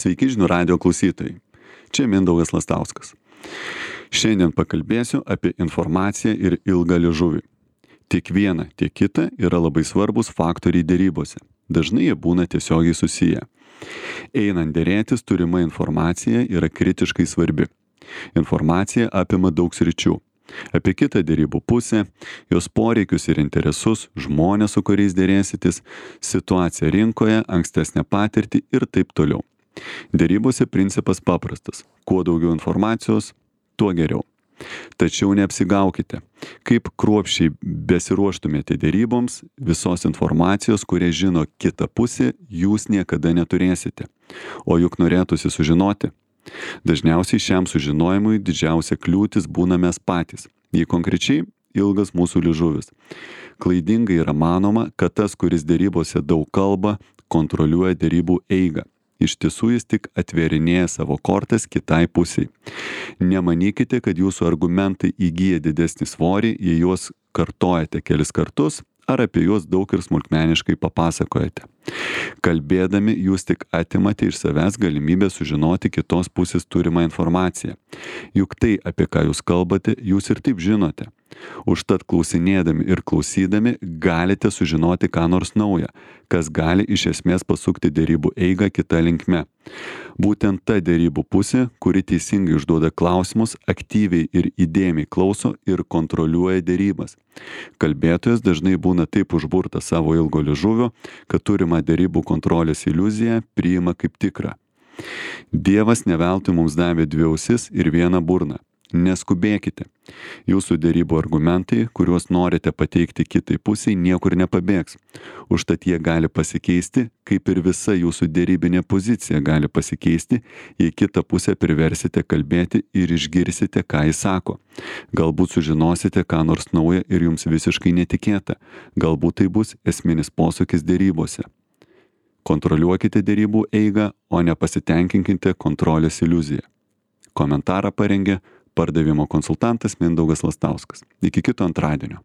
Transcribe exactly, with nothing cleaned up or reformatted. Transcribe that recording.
Sveiki žinių radijo klausytojai. Čia Mindaugas Lastauskas. Šiandien pakalbėsiu apie informaciją ir ilgą liežuvį. Tiek viena, tiek kita yra labai svarbus faktoriai derybose. Dažnai jie būna tiesiogiai susiję. Einant derėtis, turima informacija yra kritiškai svarbi. Informacija apima daug sričių. Apie kitą derybų pusę, jos poreikius ir interesus, žmonės, su kuriais derėsitės, situaciją rinkoje, ankstesnę patirtį ir taip toliau. Derybose principas paprastas. Kuo daugiau informacijos, tuo geriau. Tačiau neapsigaukite. Kaip kruopščiai besiruoštumėte deryboms, visos informacijos, kurią žino kita pusė, jūs niekada neturėsite. O juk norėtųsi sužinoti. Dažniausiai šiam sužinojimui didžiausia kliūtis būna mes patys. Jei konkrečiai ilgas mūsų liežuvis. Klaidingai yra manoma, kad tas, kuris derybose daug kalba, kontroliuoja derybų eigą. Iš tiesų jis tik atverinėja savo kortas kitai pusiai. Nemanykite, kad jūsų argumentai įgyja didesnį svorį, jei juos kartojate kelis kartus ar apie juos daug ir smulkmeniškai papasakojate. Kalbėdami jūs tik atimate iš savęs galimybę sužinoti kitos pusės turimą informaciją. Juk tai, apie ką jūs kalbate, jūs ir taip žinote. Užtat klausinėdami ir klausydami galite sužinoti ką nors naują, kas gali iš esmės pasukti derybų eigą kita linkme. Būtent ta derybų pusė, kuri teisingai užduoda klausimus, aktyviai ir įdėmiai klauso ir kontroliuoja derybas. Kalbėtojas dažnai būna taip užburtas savo ilgo liežuvio, kad turimą derybų kontrolės iliuziją priima kaip tikrą. Dievas ne veltui mums davė dvi ausis ir vieną burną. Neskubėkite. Jūsų derybų argumentai, kuriuos norite pateikti kitai pusiai, niekur nepabėgs. Užtat jie gali pasikeisti, kaip ir visa jūsų derybinė pozicija gali pasikeisti, jei kitą pusę priversite kalbėti ir išgirsite, ką jis sako. Galbūt sužinosite ką nors naują ir jums visiškai netikėta. Galbūt tai bus esminis posūkis derybose. Kontroliuokite derybų eigą, o nepasitenkinkite kontrolės iliuziją. Komentarą parengė pardavimo konsultantas Mindaugas Lastauskas. Iki kito antradienio.